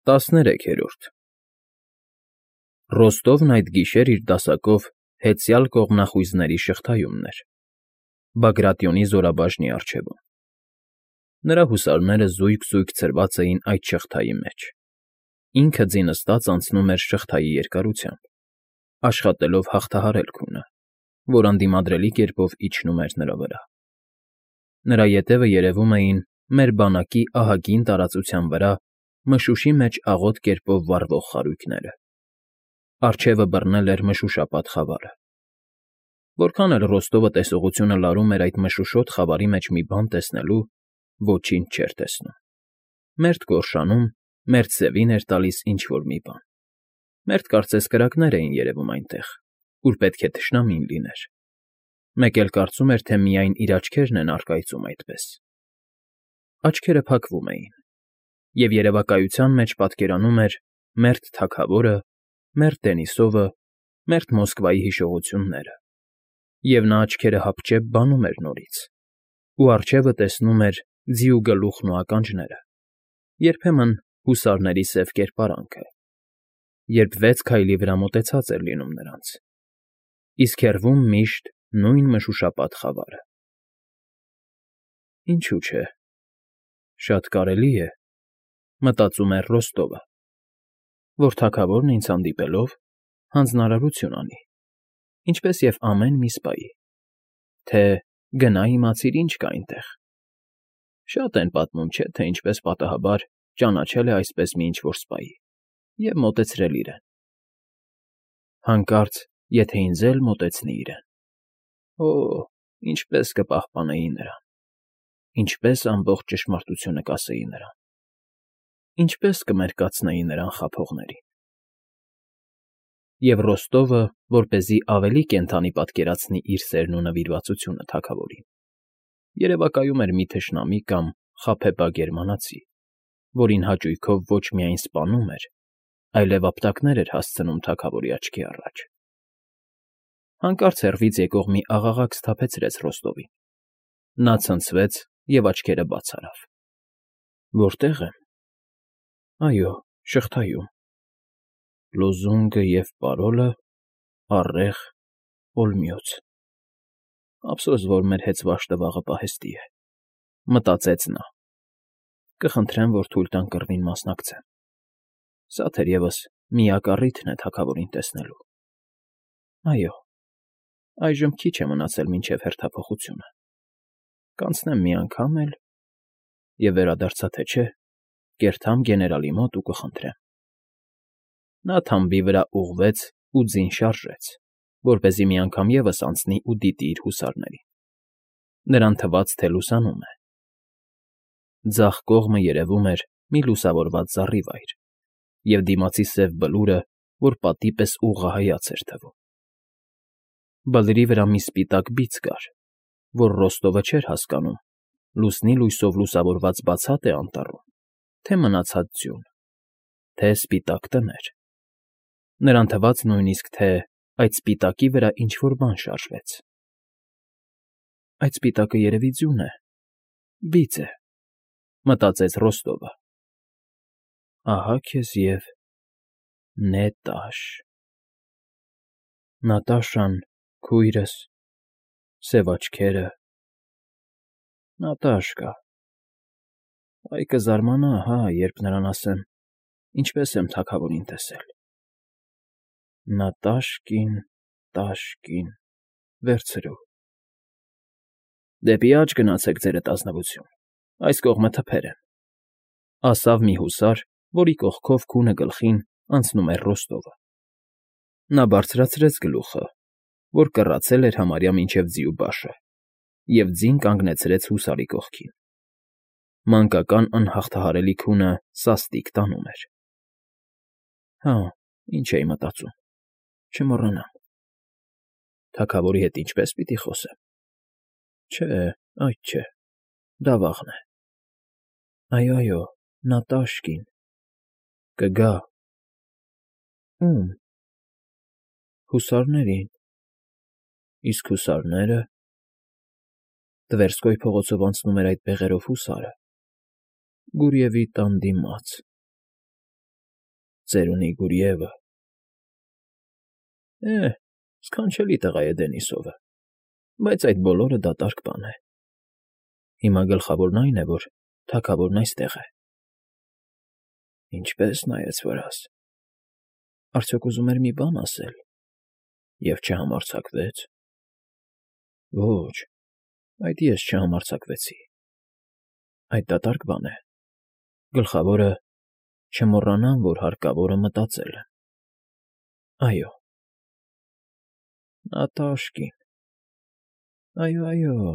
13-րդ Ռոստովն այդ գիշեր իր դասակով հեծյալ կողմնախույզների շղթայումն էր, Բագրատիոնի զորաբաժնի առջևում. նրա հուսարները զույգ֊զույգ ցրված էին այդ շղթայի մեջ, ինքը ձինստած անցնում էր շղթայի երկարությամբ, աշխատելով հաղթահարել քունը, որ անդիմադրելի կերպով իջնում էր նրա վրա. նրա ետևը երևում էին մեր բանակի ահագին տարածության վրա մշուշի մեջ աղոտ կերպով վառվող խարույկները, առջևը բռնել էր մշուշապատ խավարը. որքան էլ Ռոստովը տեսողությունը լարում էր այդ մշուշոտ խավարի մեջ մի բան տեսնելու, ոչինչ չէր տեսնում, մերթ գորշանում, մերթ սևին էր տալիս ինչ֊որ մի բան, մերթ կարծես կրակներ էին երևում այնտեղ, ուր պետք է թշնամին լիներ, մեկ էլ կարծում էր, թե միայն իր աչքերն են առկայծում այդպես. աչքերը փակվում էին, և երևակայության մեջ պատկերանում էր մերթ թագավորը, մերթ Դենիսովը, մերթ Մոսկվայի հիշողությունները, և նա աչքերը հապճեպ բանում էր նորից, ու առջևը տեսնում էր ձիու գլուխն ու ականջները, երբեմն հուսարների սև կերպարանքը, երբ 6 քայլի վրա մոտեցած էր լինում նրանց, իսկ հեռվում միշտ նույն մշուշապատ խավարը։ Ինչու՞ չէ, շատ կարելի է, մտածում էր Ռոստովը, որ թագավորն ինձ հանդիպելով հանձնարարություն անի, ինչպես և ամեն մի սպայի, թե գնա իմացիր ինչ կա այնտեղ. շատ են պատմում, չէ՞, թե ինչպես պատահաբար ճանաչել է այսպես մի ինչ֊որ սպայի և մոտեցրել իրեն, հանկարծ եթե ինձ էլ մոտեցնի իրեն, օ՜, ինչպես կպահպանեի նրան, ինչպես ամբողջ ճշմարտությունը կասեի նրան, ինչպես կմերկացնեի նրան խաբողներին։ Եվ Ռոստովը, որպեսզի ավելի կենդանի պատկերացնի իր սերն ու նվիրվածությունը թագավորին, երևակայում էր մի թշնամի կամ խաբեբա գերմանացի, որին հաճույքով ոչ միայն սպանում էր, այլև ապտակներ էր հասցնում թագավորի աչքի առաջ. հանկարծ հեռվից եկող մի աղաղակ սթափեցրեց Ռոստովին, նա ցնցվեց և աչքերը բաց արավ. որտե՞ղ եմ. այո, շղթայում, լոզունգը և պարոլը՝ առեղ, օլմյոց, ափսոս, որ մեր հեծված տվաղը պահեստի է, մտածեց նա, կխնդրեմ, որ թույլ տան կռվին մասնակցեմ, սա թերևս միակ առիթն է թագավորին տեսնելու, այո, այժմ քիչ է մնացել մինչև հերթափոխությունը, կանցնեմ մի անգամ էլ և վերադարձա թե չէ, կերթամ գեներալի մոտ ու կխնդրեմ։ Նա թամբի վրա ուղղվեց ու ձին շարժեց, որպեսզի մի անգամ ևս անցնի ու դիտի իր հուսարներին, նրան թվաց, թե լուսանում է. ձախ կողմը երևում էր մի լուսավորված զառիվայր և դիմացի սև բլուրը, որ պատի պես ուղղահայաց էր թվում, բլրի վրա մի սպիտակ բիծ կար, որ Ռոստովը չէր հասկանում, լուսնի լույսով լուսավորված բացատ է անտառում, թե մնացած ձյուն, թե սպիտակ տներ, նրան թվաց նույնիսկ, թե այդ սպիտակի վրա ինչ֊որ բան շարժվեց. այդ սպիտակը երևի ձյուն է, բիծ է, մտածեց Ռոստովը, ահա քեզ և Նետաշ, Նատաշան, քույրս, սև աչքերը, Նատաշկա, այ կզարմանա, հա, երբ նրան ասեմ, ինչպես եմ թագավորին տեսել, Նատաշկին, տաշկին, վերցրու, դեպի աջ գնացեք, ձերդ ազնվություն, այս կողմը թփեր են, ասավ մի հուսար, որի կողքով քունը գլխին անցնում էր Ռոստովը, նա բարձրացրեց գլուխը, որ կռացել էր համարյա մինչև ձիու բաշը, և ձին կանգնեցրեց հուսարի կողքին, մանկական անհաղթահարելի քունը սաստիկ տանում էր, հա, ինչ էի մտածում, չմոռանամ, թագավորի հետ ինչպե՞ս պիտի խոսեմ, չէ, այդ չէ, դա վաղն է, այո, Նատաշկին, կգա, ո՞ւմ, հուսարներին, իսկ հուսարները, Տվերսկոյ փողոցով անցնում էր այդ բեղերով հուսարը, Գուրիևի տան դիմաց, Ծերունի Գուրիևը… Սքանչելի տղա է Դենիսովը, բայց այդ բոլորը դատարկ բան է… Հիմա գլխավորն այն է, որ թագավորն այստեղ է… Ինչպե՜ս նայեց վրաս… Արդյոք ուզում էր մի բան ասել… Եվ չհամարձակվեց… Ոչ, այդ ես չհամարձակվեցի… Այդ դատարկ բան է… Գլխավորը չմոռանամ, որ հարկավորը մտածել եմ… Այո… Նա տաշկին… Այո,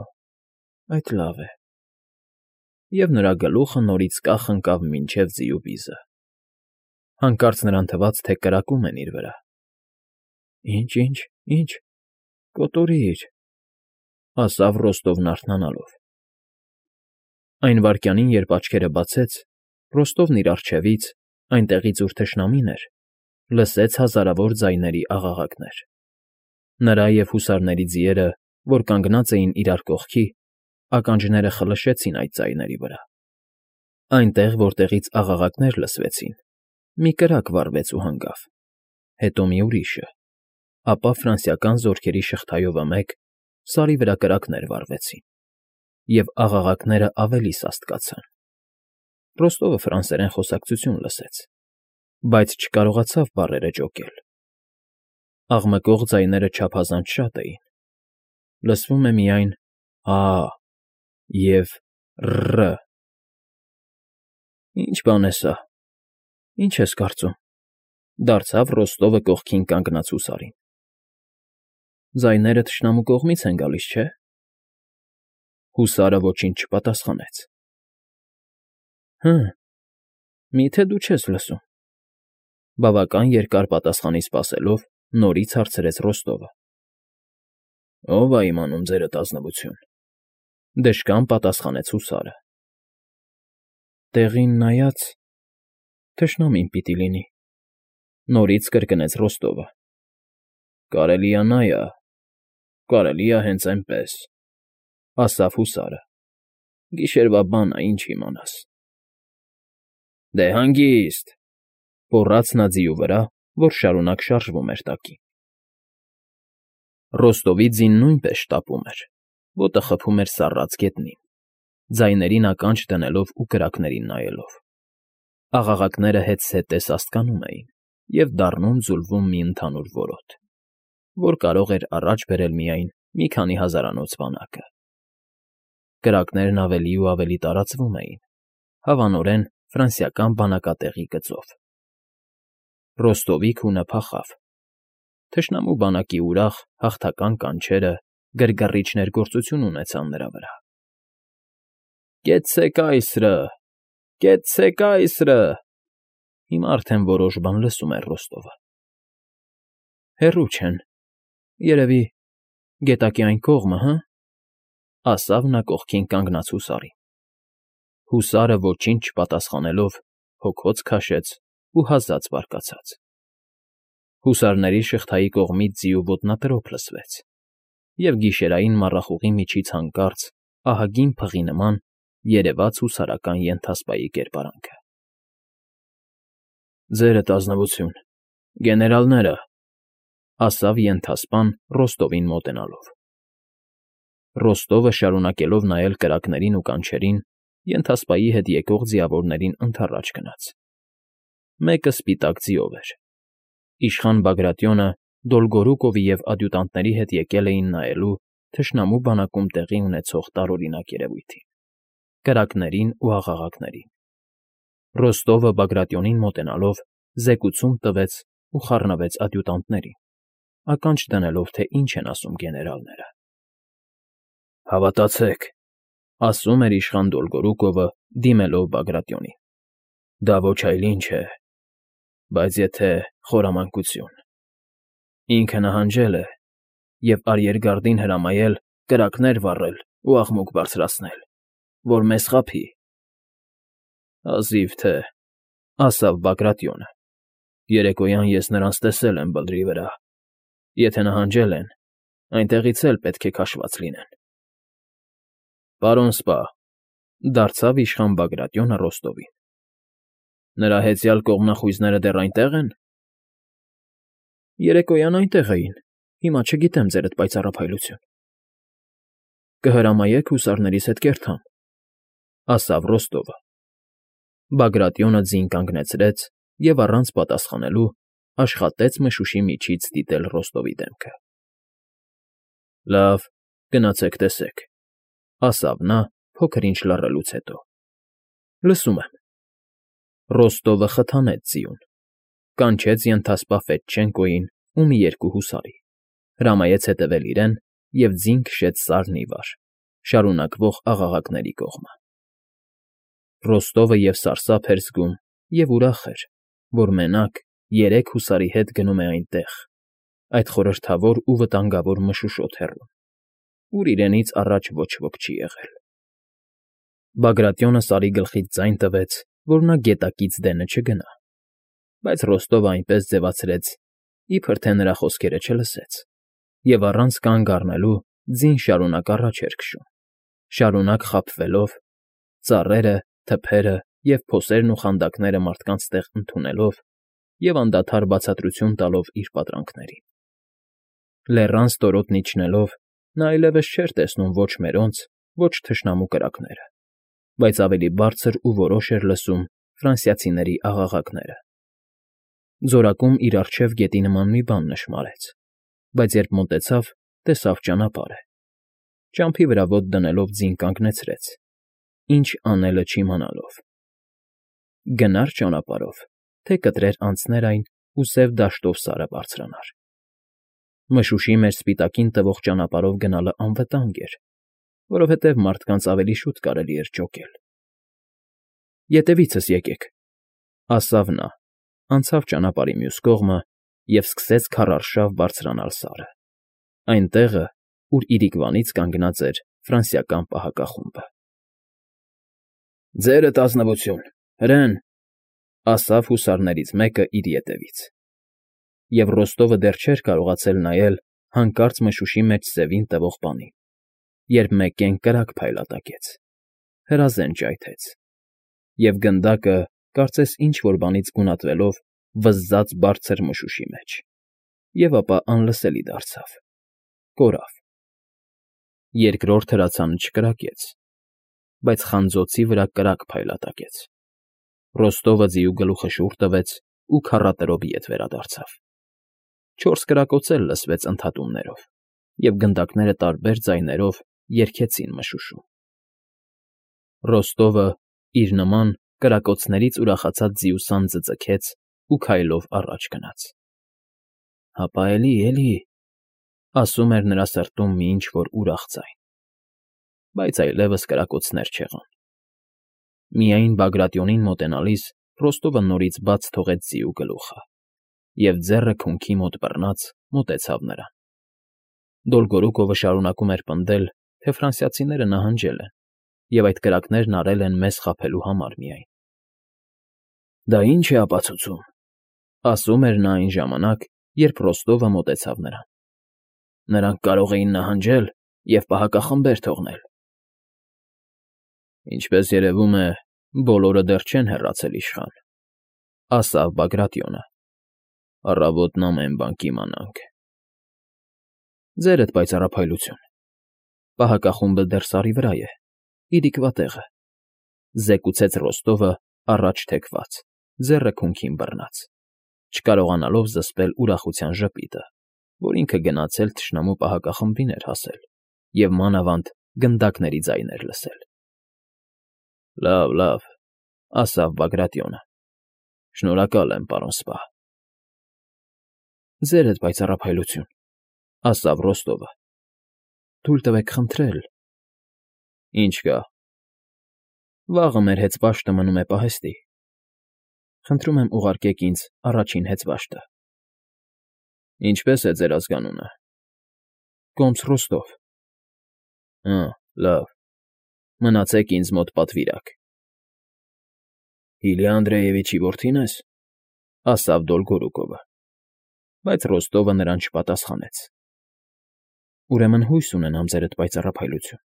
այդ լավ է… Եվ նրա գլուխը նորից կախ ընկավ մինչև ձիու վիզը… Հանկարծ նրան թվաց, թե կրակում են իր վրա… Ինչ… Կոտորիր… Ասավ Ռոստովն արթնանալով… Այն վայրկյանին, երբ աչքերը բացեց, Ռոստովն իր առջևից, այնտեղից, ուր թշնամին էր, լսեց հազարավոր ձայների աղաղակներ… Նրա և հուսարների ձիերը, որ կանգնած էին իրար կողքի, ականջները խլշեցին այդ ձայների վրա… Այնտեղ, որտեղից աղաղակներ լսվեցին, մի կրակ վառվեց ու հանգավ, հետո մի ուրիշը, ապա ֆրանսիական զորքերի շղթայովը մեկ Սարի վրա կրակներ վառվեցին, և աղաղակներն ավելի սաստկացան… Ռոստովը ֆրանսերեն խոսակցություն լսեց, բայց չկարողացավ բառերը ճոկել… Աղմկող ձայները չափազանց շատ էին, լսվում է միայն «ա» և «ռ»… Ի՞նչ բան է սա… Ինչ ես կարծում,֊ դարձավ Ռոստովը կողքին կանգնած հուսարին… Ձայները թշնամու կողմից են գալիս, չէ՞… Հուսարը ոչինչ չպատասխանեց… Մի՞թե դու չես լսում,֊ բավական երկար պատասխանի սպասելով, նորից հարցրեց Ռոստովը… Ո՞վ է իմանում, ձերդ ազնվություն,֊ դժկան պատասխանեց հուսարը… Տեղին նայած, թշնամին պիտի լինի,֊ նորից կրկնեց Ռոստովը… Կարելի է նա է, կարելի է հենց էնպես,֊ ասավ հուսարը… Գիշերվա բան ա, ինչ իմանաս… Դե հանգիստ,֊ գոռաց նա ձիու վրա, որ շարունակ շարժվում էր տակին… Ռոստովի ձին նույնպես շտապում էր, ոտը խփում էր սառած գետնին, ձայներին ականջ դնելով ու կրակներին նայելով… Աղաղակները հետզհետե սաստկանում էին և դառնում֊ձուլվում մի ընդհանուր որոտ, որ կարող էր առաջ բերել միայն մի քանի հազարանոց բանակը… Կրակներն ավելի ու ավելի տարածվում էին, հավանորեն ֆրանսիական բանակատեղի գծով… Ռոստովի քունը փախավ… Թշնամու բանակի ուրախ, հաղթական կանչերը գրգռիչ ներգործություն ունեցան նրա վրա… Կեցցե՛ք այսրը… Կեցցե՛ք այսրը… Հիմա արդեն որոշ բան լսում էր Ռոստովը… Հեռու չեն, երևի, գետակի այն կողմը, հը՞… ասավ նա կողքին կանգնած հուսարին… Հուսարը ոչինչ չպատասխանելով, հոգոց քաշեց ու հազաց բարկացած… Հուսարների շղթայի կողմից ձիու ոտնատրոփ լսվեց, և գիշերային մառախուղի միջից հանկարծ, ահագին փղի նման, երևաց հուսարական ենթասպայի կերպարանքը… Ձերդ ազնվություն, գեներալները…֊ ասավ ենթասպան Ռոստովին մոտենալով… Ռոստովը, շարունակելով նայել կրակներին ու կանչերին, ենթասպայի հետ եկող ձիավորներին ընդառաջ գնաց… Մեկը սպիտակ ձիով էր… Իշխան Բագրատյոնը Դոլգորուկովի և ադյուտանտների հետ եկել էին նայելու թշնամու բանակում տեղի ունեցող տարօրինակ երևույթին… Կրակներին ու աղաղակներին… Ռոստովը Բագրատյոնին մոտենալով զեկուցում տվեց ու խառնվեց ադյուտանտներին, ականջ դնելով, թե ինչ են ասում գեներալները… Հավատացեք,֊ ասում էր իշխան Դոլգորուկովը, դիմելով Բագրատյոնին,֊ դա ոչ այլ ինչ է, բայց եթե խորամանկություն… Ինքը նահանջել է և արիերգարդին հրամայել կրակներ վառել ու աղմուկ բարձրացնել, որ մեզ խաբի… Հազիվ թե,֊ ասավ Բագրատյոնը,֊ երեկոյան ես նրանց տեսել եմ բլրի վրա… Եթե նահանջել են, այնտեղից էլ պետք է քաշված լինեն… Պարոն սպա,֊ դարձավ իշխան Բագրատյոնը Ռոստովին,֊ Նրա հեծյալ կողմնախույզները դեռ այնտեղ են։ Երեկոյան այնտեղ էին, հիմա չգիտեմ, ձերդ պայծառափայլություն։ Կհրամայեք հուսարներից հետ կերթամ, ասավ Ռոստովը։ Բագրատյոնը ձին կանգնեցրեց և առանց պատասխանելու աշխատեց մշուշի միջից դիտել Ռոստովի դեմքը։ Լավ, գնացեք տեսեք, ասավ նա փոքր-ինչ լռելուց հետո։ Լսում եմ։ Ռոստովը խթանեց ձիուն, կանչեց ենթասպա Ֆեդչենկոյին ու մի երկու հուսարի, հրամայեց հետևել իրեն և ձին քշեց սարն ի վար, շարունակվող աղաղակների կողմը։ Ռոստովը և սարսափ էր զգում, և ուրախ էր, որ մենակ 3 հուսարի հետ գնում է այնտեղ, այդ խորհրդավոր ու վտանգավոր մշուշոտ հեռում, ուր իրենից առաջ ոչ ոք չի եղել։ Բագրատյոնը Սարի գլխից ձայն տվեց, որ նա գետակից դենը չգնա, բայց Ռոստովը այնպես ձևացրեց, իբր թե նրա խոսքերը չլսեց, և առանց կանգ առնելու ձին շարունակ առաջ էր քշում, շարունակ խաբվելով, ծառերը, թփերը և փոսերն ու խանդակները մարդկանց տեղ ընդունելով և անդադար բացատրություն տալով իր պատրանքներին։ Լեռան ստորոտն իջնելով՝ նա այլևս չէր տեսնում ոչ մերոնց, ոչ թշնամու կրակները, բայց ավելի բարձր ու որոշ էր լսում ֆրանսիացիների աղաղակները։ Ձորակում իր առջև գետի նման մի բան նշմարեց, բայց երբ մոտեցավ, տեսավ ճանապարհը։ Ճամփի վրա ոտ դնելով ձին կանգնեցրեց, ինչ անելը չիմանալով։ Գնա՞ր ճանապարհով, թե կտրեր անցներ այն ու սև դաշտով Սարը բարձրանար։ Մշուշի մեջ սպիտակին տվող ճանապարհով գնալը անվտանգ էր, որովհետև մարդկանց ավելի շուտ կարելի էր ճոկել։ Ետևիցս եկեք, ասավ նա, անցավ ճանապարհի մյուս կողմը և սկսեց քարարշավ բարձրանալ Սարը, այն տեղը, ուր իրիկվանից կանգնած էր ֆրանսիական պահակախումբը։ Ձերդ ազնվություն, հրեն, ասավ հուսարներից մեկը իր ետևից։ Եվ Ռոստովը դեռ չէր կարողացել նայել հանկարծ մշուշի մեջ սևին տվող բանին, երբ մեկեն կրակ փայլատակեց, հրազեն ճայթեց, և գնդակը, կարծես ինչ֊որ բանից գունատվելով, վզզաց բարձր մշուշի մեջ, և ապա անլսելի դարձավ, կորավ։ Երկրորդ հրացանը չկրակեց, բայց խանձոցի վրա կրակ փայլատակեց։ Ռոստովը ձիու գլուխը շուռ տվեց ու քառատրով ետ վերադարձավ։ 4 կրակոց էլ լսվեց ընդհատումներով, և գնդակները տարբեր ձայներով երգեցին մշուշում։ Ռոստովը, իր նման, կրակոցներից ուրախացած ձիու սանձը ձգեց ու քայլով առաջ գնաց։ «Հապա էլի», ասում էր նրա սրտում մի ինչ֊որ ուրախ ձայն, բայց այլևս կրակոցներ չեղան։ Միայն Բագրատյոնին մոտենալիս Ռոստովը նորից բաց թողեց ձիու գլուխը և ձեռը քունքի մոտ բռնած մոտեցավ նրան։ Դոլգորուկովը շարունակում էր պնդել, թե ֆրանսիացիները նահանջել են, և այդ կրակներն արել են մեզ խաբելու համար միայն։ «Դա ի՞նչ է ապացուցում», ասում էր նա այն ժամանակ, երբ Ռոստովը մոտեցավ նրան։ «Նրանք կարող էին նահանջել և պահակախմբեր թողնել»։ «Ինչպես երևում է, բոլորը դեռ չեն հեռացել իշխան», ասավ Բագրատյոնը։ «Առավոտն ամեն բան կիմանանք»։ «Ձերդ պայծառափայլություն, պահակախումբը դեռ Սարի վրա է, իրիկվա տեղը», զեկուցեց Ռոստովը առաջ թեքված, ձեռը քունքին բռնած, չկարողանալով զսպել ուրախության ժպիտը, որ ինքը գնացել թշնամու պահակախմբին էր հասել և մանավանդ գնդակների ձայներ լսել։ Լավ, ասավ Բագրատյոնը։ Շնորհակալ եմ, պարոն սպա։ Ձերդ պայծառափայլություն, ասավ Ռոստովը։ Թույլ տվեք խնդրել։ Ինչ կա։ Վաղը մեր հեծվաշտը մնում է պահեստի։ Խնդրում եմ ուղարկեք ինձ առաջին հեծվաշտը։ Ինչպե՞ս է ձեր ազգանունը։ Կոմս Ռոստով։ Լավ, մնացեք ինձ մոտ պատվիրակ։ Իլյա Անդրեևիչի որդի՞ն ես, ասավ Դոլգորուկովը, բայց Ռոստովը նրան չպատասխանեց։ Ուրեմն հույս ունենամ, ձերդ պայծառափայլություն։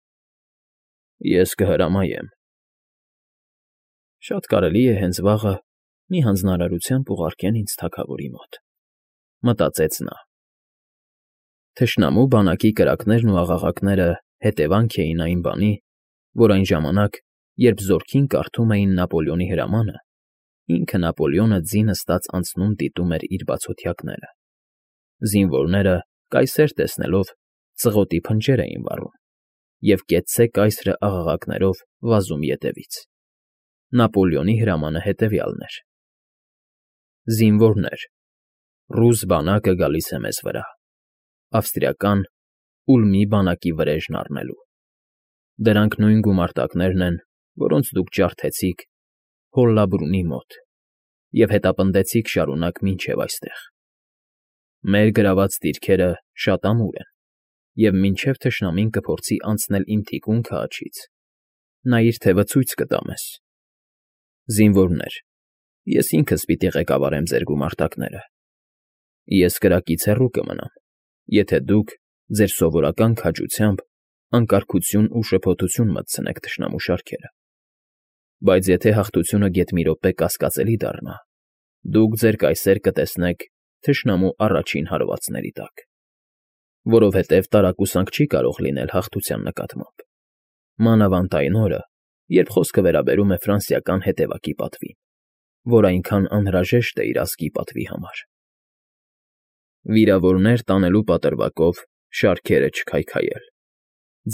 Ես կհրամայեմ։ Շատ կարելի է հենց վաղը մի հանձնարարությամբ ուղարկեն ինձ թագավորի մոտ, մտածեց նա։ Թշնամու բանակի կրակներն ու աղաղակները հետևանք էին այն բանի, որ այն ժամանակ, երբ զորքին կարդում էին Նապոլեոնի հրամանը, ինքը Նապոլեոնը ձի նստած անցնում դիտում էր իր բացօթյակները։ Զինվորները, կայսեր տեսնելով, ծղոտի փնջեր էին վառում և կեցցե կայսրը աղաղակներով վազում ետևից։ Նապոլեոնի հրամանը հետևյալն էր. «Զինվորներ, ռուս բանակը գալիս է մեզ վրա, ավստրիական Ուլմի բանակի վրեժն առնելու։ Դրանք նույն գումարտակներն են, որոնց դուք ջարդեցիք Հոլլաբրունի մոտ և հետապնդեցիք շարունակ մինչև այստեղ։ Մեր գրաված դիրքերը շատ ամուր են, և մինչև թշնամին կփորձի անցնել իմ թիկունքը աջից, նա իր թևը ցույց կտա մեզ։ Զինվորներ, ես ինքս պիտի ղեկավարեմ ձեր գումարտակները։ Ես կրակից հեռու կմնամ, եթե դուք ձեր սովորական քաջությամբ անկարգություն ու շփոթություն մտցնեք թշնամու շարքերը։ Բայց եթե հաղթությունը գեթ մի րոպե կասկածելի դառնա, դուք ձեր կայսեր կտեսնեք թշնամու առաջին հարվածների տակ, որովհետև տարակուսանք չի կարող լինել հաղթության նկատմամբ, մանավանդ այն օրը, երբ խոսքը վերաբերում է ֆրանսիական հետևակի պատվին, որ այնքան անհրաժեշտ է իր ազգի պատվի համար։ Վիրավորներ տանելու պատրվակով շարքերը չքայքայել։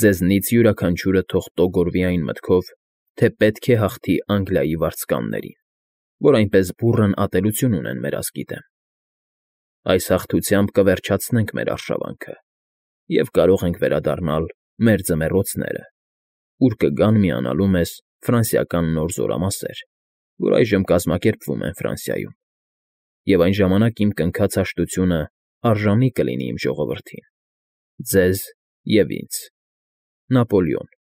Ձեզնից յուրաքանչյուրը թող տոգորվի այն մտքով, թե պետք է հաղթի Անգլիայի վարձկաններին, որ այնպես բուռն ատելություն ունեն մեր ազգի դեմ։ Այս հաղթությամբ կվերջացնենք մեր արշավանքը և կարող ենք վերադառնալ մեր ձմեռոցները, ուր կգան միանալու մեզ ֆրանսիական նոր զորամասեր, որ այժմ կազմակերպվում են Ֆրանսիայում, և այն ժամանակ իմ կնքած հաշտությունը արժանի կլինի իմ ժողովրդին, ձեզ և ինձ։ Նապոլեոն։